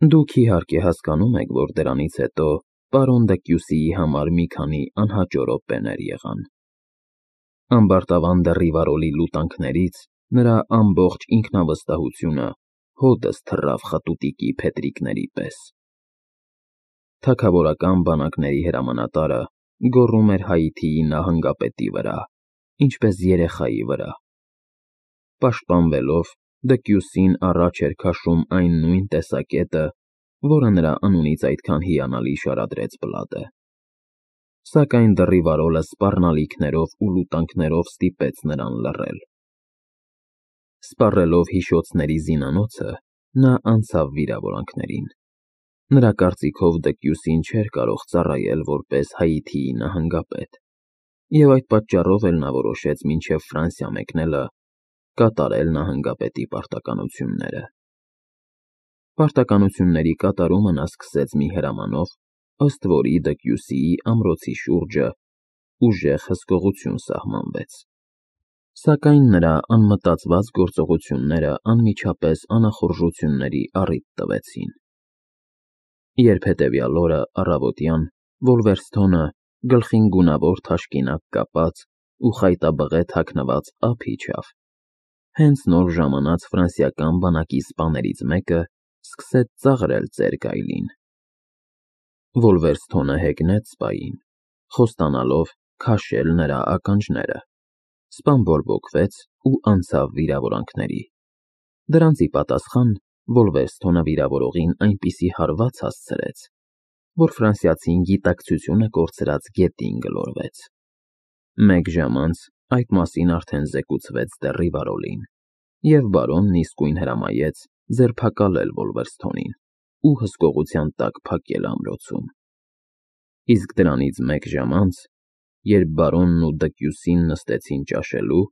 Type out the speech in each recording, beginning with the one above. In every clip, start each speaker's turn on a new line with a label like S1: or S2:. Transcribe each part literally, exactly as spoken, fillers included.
S1: Դուք իհարկե հասկանում եք, որ դրանից հետո պարոն Դեկյուսիի համար մի քանի անհաճո րոպեներ եղան։ Ամբարտավան Դեռիվարոլի լուտանքներից նրա ամբողջ ինքնավստահությունը հօդս թռավ խտուտիկի փետրիկների պես։ Թագավորական բանակների հրամանատարը գոռում էր Հայիթիի նահանգապետի վրա, ինչպես երեխայի վրա։ Պաշտպանվելով, Դեկյուսին առաջ էր քաշում այն նույն տեսակետը, որը նրա անունից այդքան հիանալի շարադրեց Բլադը։ Սակայն Դեռիվարոլը սպառնալիքներով ու լուտանքներով ստիպեց նրան լռել։ Սպառելով հիշոցների զինանոցը, նա անցավ վիրավորանքներին։ Նրա կարծիքով Դեկյուսին չէր կարող ծառայել որպես Հայիթիի նահանգապետ, և այդ պատճառով էլ նա որոշեց մինչև Ֆրանսիա մեկնելը կատարել նահանգապետի պարտականությունները։ Պարտականությունների կատարումը նա սկսեց մի հրամանով, ըստ որի Դեկյուսիի ամրոցի շուրջը ուժեղ հսկողություն սահմանվեց։ Սակայն նրա անմտածված գործողությունները անմիջապես անախորժությունների առիթ տվեցին։ Երբ հետևյալ օրը առավոտյան Վոլվերսթոնը գլխին գունավոր թաշկինակ կապած ու խայտաբղե թաքնված ափ իջավ, հենց նոր ժամանած ֆրանսիական բանակի սպաներից մեկը սկսեց ծաղրել ծեր գայլին։ Վոլվերսթոնը հեգնեց սպային, խոստանալով քաշել նրա ականջները։ Սպան բորբոքվեց ու անցավ վիրավորանքների։ Դրանց ի պատասխան Վոլվերսթոնը վիրավորողին այնպիսի հարված հասցրեց, որ ֆրանսիացին գիտակցությունը կորցրած գետին գլորվեց։ Մեկ ժամ անց այդ մասին արդեն զեկուցվեց Դեռիվարոլին, և բարոնն իսկույն հրամայեց ձերբակալել Վոլվերսթոնին ու հսկողության տակ փակել ամրոցում։ Իսկ դրանից մեկ ժամ անց, երբ բարոնն ու Դեկյուսին նստեցին ճաշելու,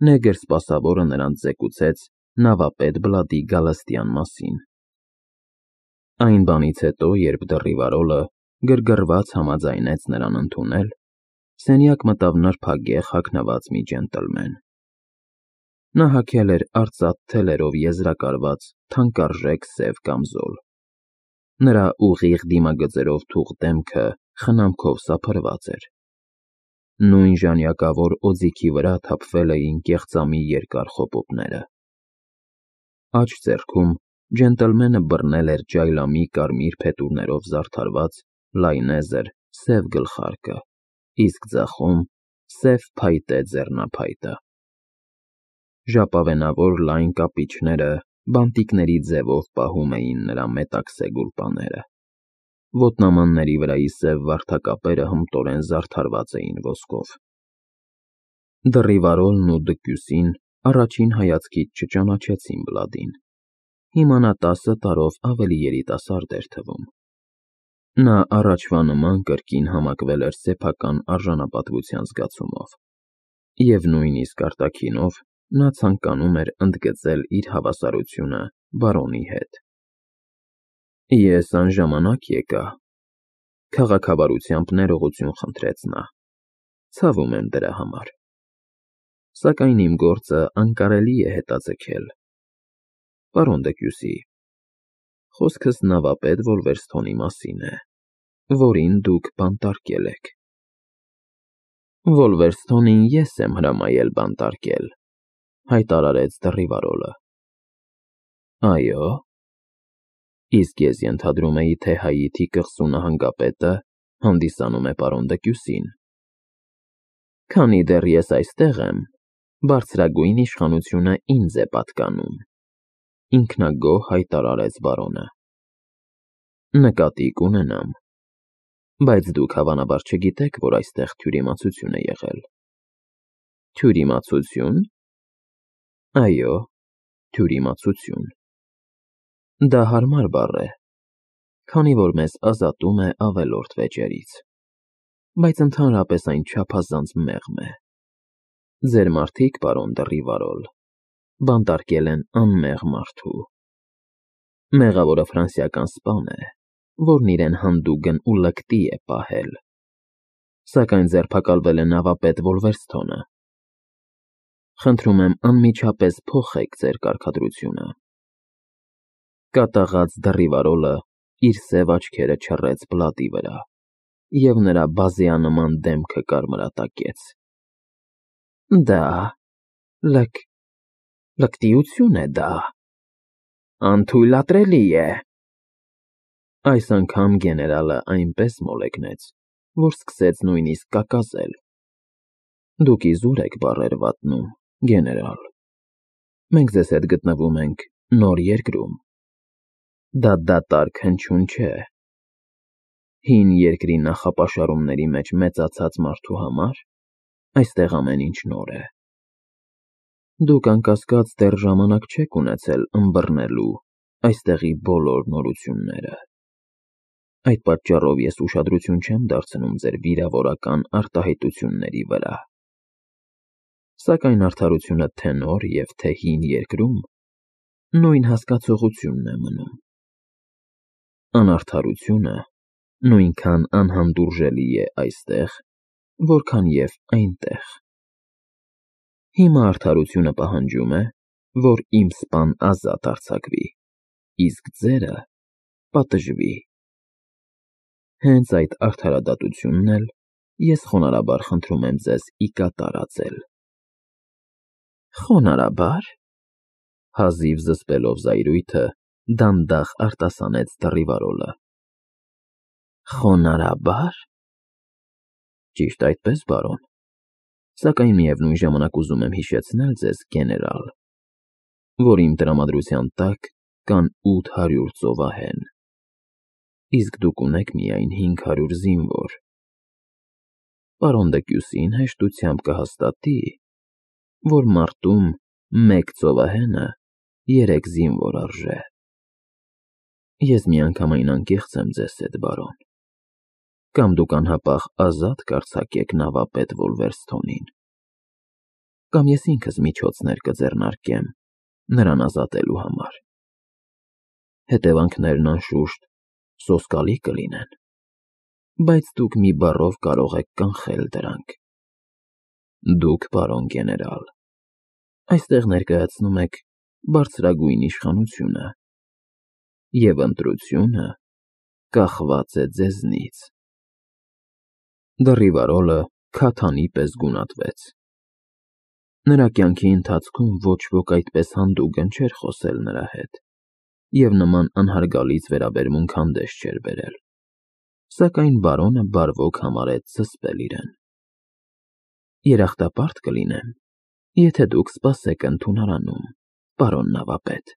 S1: նեգր սպասավորը նրանց զեկուցեց նավապետ Բլադի գալստյան մասին։ Այն բանից հետո, երբ Դեռիվարոլը գրգռված համաձայնեց նրան ընդունել, սենյակ մտավ նրբագեղ հագնված մի ջենտլմեն։ Նա հագել էր արծաթ թելերով եզրակարված թանկարժեք սև կամզոլ։ Նրա ուղիղ դիմագծերով թուխ դեմքը խնամքով սափրված էր։ Նույն ժանյակավոր օձիքի վրա թափվել էին կեղծամի երկար խոպոպները։ Աջ ձեռքում ջենտլմենը բռնել էր ջայլամի կարմիր փետուրներով զարդարված լայնեզր սև գլխարկը, իսկ ձախում՝ սև փայտե ձեռնափայտը։ Ժապավենավոր լայն կապիչները բանտիկների ձևով պահում էին նրա մետաքսե գուլպաները։ Ոտնամանների վրայի սև վարդակապերը հմտորեն զարդարված էին ոսկով։ Դեռիվարոլն ու Դեկյուսին առաջին հայացքից չճանաչեցին Բլադին։ Հիմա նա տասը տարով ավելի երիտասարդ էր թվում։ Նա առաջվա նման կրկին համակվել էր սեփական արժանապատվության զգացումով, և նույնիսկ արտաքինով նա ցանկանում էր ընդգծել իր հավասարությունը բարոնի հետ։ Ես անժամանակ եկա, քաղաքավարությամբ ներողություն խնդրեց նա։ Ցավում եմ դրա համար։ Սակայն իմ գործը անկարելի է հետաձգել։ Պարոն Դեկյուսի, խոսքս նավապետ Վոլվերսթոնի մասին է, որին դուք բանտարկել եք։ Վոլվերսթոնին ես եմ հրամայել բանտարկել, հայտարարեց Դեռիվարոլը։ Այո՞։ Իսկ ես ենթադրում էի, թե Հայիթի կղզու նահանգապետը հանդիսանում է պարոն Դեկյուսին։ Քանի դեռ ես այստեղ եմ, բարձրագույն իշխանությունը ինձ է պատկանում, ինքնագոհ հայտարարեց բարոնը։ Նկատի կունենամ, բայց դուք հավանաբար չգիտեք, որ այստեղ թյուրիմացություն է եղել։ Թյուրիմացությո՞ւն։ Այո, թյուրիմացություն։ Դա հարմար բառ է, քանի որ մեզ ազատում է ավելորդ վեճերից, բայց ընդհանրապես այն չափազանց մեղմ է։ Ձեր մարդիկ, պարոն Դեռիվարոլ, բանտարկել են անմեղ մարդու։ Մեղավորը ֆրանսիական սպան է, որն իրեն հանդուգն ու լկտի է պահել, սակայն ձերբակալվել է նավապետ Վոլվերսթոնը։ Խնդրում եմ անմիջապես փոխեք ձեր կարգադրությունը։ Կատաղած դռիվարոլը իր սև աչքերը չռեց բլատի վրա, և նրա բազեանման դեմքը կարմրատակեց։ Դա լք... լկտիություն է դա։ Անթույլատրելի է։ Այս անգամ գեներալը այնպես մոլեգնեց, որ սկսեց նույնիսկ կակազել։ Դուք իզուր եք բառեր վատնում, գեներալ։ Մենք ձեզ հետ գտնվում ենք նոր երկրում։ Դա դատարկ հնչյուն չէ։ Հին երկրի նախապաշարումների մեջ մեծացած մարդու համար այստեղ ամեն ինչ նոր է։ Դուք անկասկած դեռ ժամանակ չեք ունեցել ըմբռնելու այստեղի բոլոր նորությունները։ Այդ պատճառով ես ուշադրություն չեմ դարձնում ձեր վիրավորական արտահայտությունների վրա։ Սակայն արդարությունը թե նոր և թե հին երկրում նույն հասկացողությունն է մնում։ Անարդարությունը նույնքան անհանդուրժելի է այստեղ, որքան և այնտեղ։ Հիմա արդարությունը պահանջում է, որ իմ սպան ազատ արձակվի, իսկ ձերը պատժվի։ Հենց այդ արդարադատությունն էլ ես խոնարհաբար խնդրում եմ ձեզ ի կատար ածել։ Խոնարհաբա՞ր, հազիվ զսպելով զայրույթը, դանդաղ արտասանեց դռիվարոլը։ Խոնարհաբա՞ր։ Ճիշտ այդպես, բարոն, սակայն միևնույն ժամանակ ուզում եմ հիշեցնել ձեզ, գեներալ, որ իմ տրամադրության տակ կան ութ հարյուր ծովահեն, իսկ դուք ունեք միայն հինգ հարյուր զինվոր։ Պարոն Դեկյուսին հեշտությամբ կհաստատի, որ մարտում մեկ ծովահենը երեք զինվոր արժե։ Ես միանգամայն անկեղծ եմ ձեզ հետ, բարոն։ Կամ դուք անհապաղ ազատ կարձակեք նավապետ Վոլվերսթոնին, կամ ես ինքս միջոցներ կձեռնարկեմ նրան ազատելու համար։ Հետևանքներն, անշուշտ, սոսկալի կլինեն, բայց դուք մի բառով կարող եք կանխել դրանք։ Դուք, պարոն գեներալ, այստեղ ներկայացնում եք բարձրագույն իշխանությունը, և ընտրությունը կախված է ձեզնից։ Դռիվարոլը քաթանի պես գունատվեց։ Նրա կյանքի ընթացքում ոչ ոք այդպես հանդուգն չէր խոսել նրա հետ, և նման անհարգալից վերաբերմունք հանդես չէր բերել, սակայն բարոնը բարվոք համարեց զսպել իրեն։ Երախտապարտ կլինեմ, եթե դուք սպասեք ընդունարանում, պարոն նավապետ։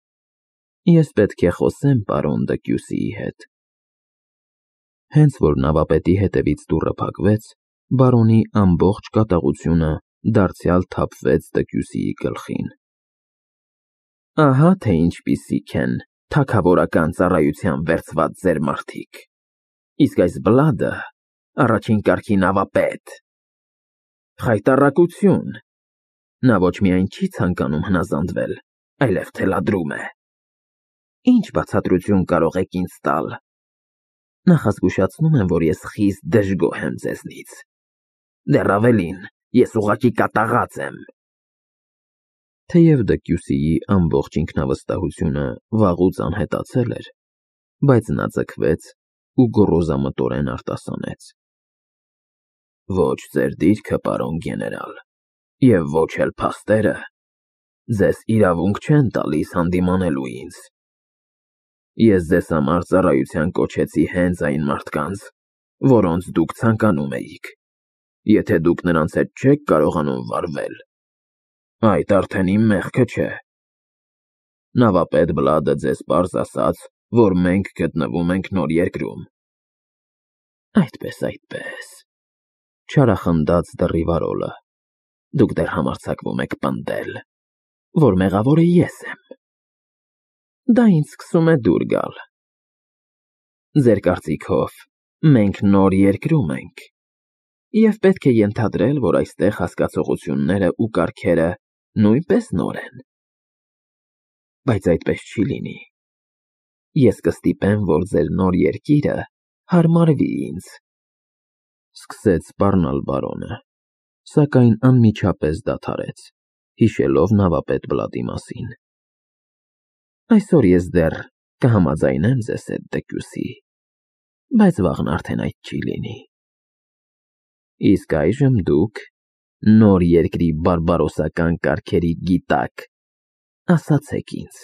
S1: Ես պետք է խոսեմ պարոն Դեկյուսիի հետ։ Հենց որ նավապետի հետևից դուռը փակվեց, բարոնի ամբողջ կատաղությունը դարձյալ թափվեց Դեկյուսիի գլխին։ Ահա թե ինչպիսիք են թագավորական ծառայության վերցված ձեր մարդիկ, իսկ այս Բլադը առաջին կարգի նավապետ։ Խայտառակություն։ Նա ոչ միայն չի ցանկանում հնազանդվել, այլև թելադրում է։ Ինչ բացատրություն կարող եք ինձ տալ։ Նախազգուշացնում եմ, որ ես խիստ դժգոհ եմ ձեզնից։ Դեռ ավելին, ես ուղղակի կատաղած եմ։ Թեև Դեկյուսիի ամբողջ ինքնավստահությունը վաղուց անհետացել էր, բայց նա ձգվեց ու գոռոզամտորեն արտասանեց. Ոչ ձեր դիրքը, պարոն գեներալ, և ոչ էլ փաստերը ձեզ իրավունք չեն տալիս հանդիմանելու ինձ։ Ես ձեզ համար ծառայության կոչեցի հենց այն մարդկանց, որոնց դուք ցանկանում էիք։ Եթե դուք նրանց հետ չեք կարողանում վարվել, այդ արդեն իմ մեղքը չէ։ Նավապետ Բլադը ձեզ պարզ ասաց, որ մենք գտնվում ենք նոր երկրում։ Այդպես, այդպես, չարախնդաց դռիվարոլը։ Դուք դեռ համարձակվում եք պնդել, որ մեղավորը ես եմ։ Դա ինձ սկսում է դուր գալ։ Ձեր կարծիքով, մենք նոր երկրում ենք, և պետք է ենթադրել, որ այստեղ հասկացողությունները ու կարգերը նույնպես նոր են։ Բայց այդպես չի լինի։ Ես կստիպեմ, որ ձեր նոր երկիրը հարմարվի ինձ։ Սկսեց սպառնալ բարոնը, սակայն անմիջապես դադարեց, հիշելով նավապետ Բլադի մասին։ Այսօր ես դեռ Կհամաձայնեմ ձեզ հետ, Դեկյուսի, բայց վաղն արդեն այդ չի լինի։ Իսկ այժմ դուք նոր երկրի բարբարոսական կարգերի գիտակ, ասացեք ինձ,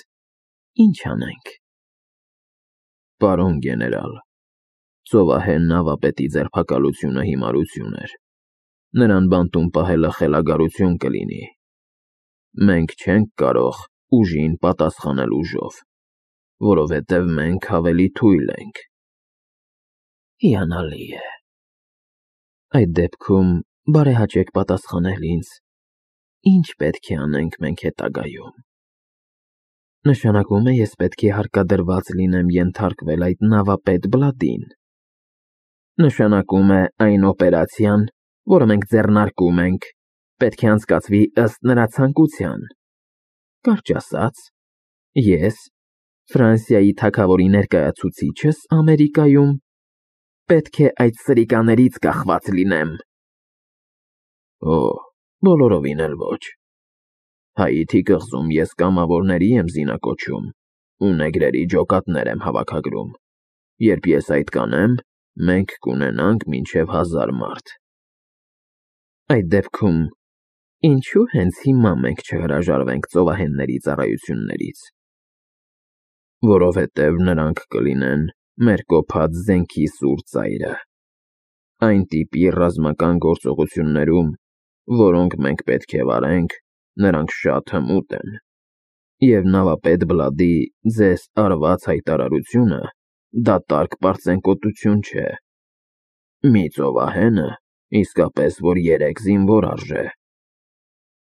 S1: ինչ անենք։ Պարոն գեներալ, ծովահեն նավապետի ձերբակալությունը հիմարություն էր։ Նրան բանտում պահելը խելագարություն կլինի։ Մենք չենք կարող ուժին պատասխանել ուժով, որովհետև մենք ավելի թույլ ենք։ Հիանալի է։ Այդ դեպքում բարեհաճեք պատասխանել ինձ, ինչ պետք է անենք մենք հետագայում։ Նշանակում է ես պետք է հարկադրված լինեմ ենթարկվել այդ նավապետ Բլադին։ Նշանակում է այն օպերացիան, որը մենք ձեռնարկում ենք, պետք է անցկացվի ըստ նրա ցանկության։ Կարճ ասած, ես, Ֆրանսիայի թագավորի ներկայացուցիչս Ամերիկայում, պետք է այդ սրիկաներից կախված լինեմ։ Օ, բոլորովին էլ ոչ։ Հայիթի կղզում ես կամավորների եմ զինակոչում ու նեգրերի ջոկատներ եմ հավաքագրում։ Երբ ես այդ կանեմ, մենք կունենանք մինչև հազար մարդ։ Այդ դեպքում, ինչու հենց հիմա մենք չհրաժարվենք ծովահենների ծառայություններից։ Որովհետև նրանք կլինեն մեր կոփած զենքի սուր ծայրը, այն տիպի ռազմական գործողություններում, որոնք մենք պետք է վարենք, նրանք շատ հմուտ են, և նավապետ Բլադի ձեզ արված հայտարարությունը դատարկ պարծենկոտություն չէ։ Մի ծովահենը իսկապես որ երեք զինվոր արժե,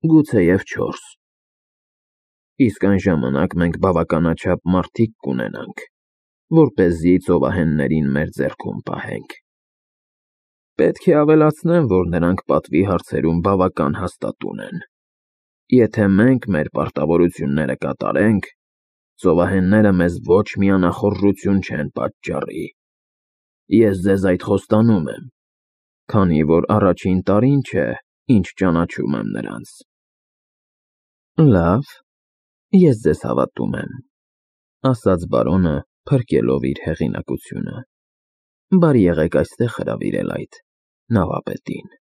S1: գուցեև չորս։ Իսկ այն ժամանակ մենք բավականաչափ մարդիկ կունենանք, որպեսզի ծովահեններին մեր ձեռքում պահենք։ Պետք է ավելացնեմ, որ նրանք պատվի հարցերում բավական հաստատուն են։ Եթե մենք մեր պարտավորությունները կատարենք, ծովահենները մեզ ոչ մի անախորժություն չեն պատճառի։ Ես ձեզ այդ խոստանում եմ, քանի որ առաջին տարին չէ, ինչ ճանաչում եմ նրանց։ Լավ, ես ձեզ հավատում եմ, ասաց բարոնը, փրկելով իր հեղինակությունը։ Բարի եղեք այստեղ հրավիրել այդ նավապետին։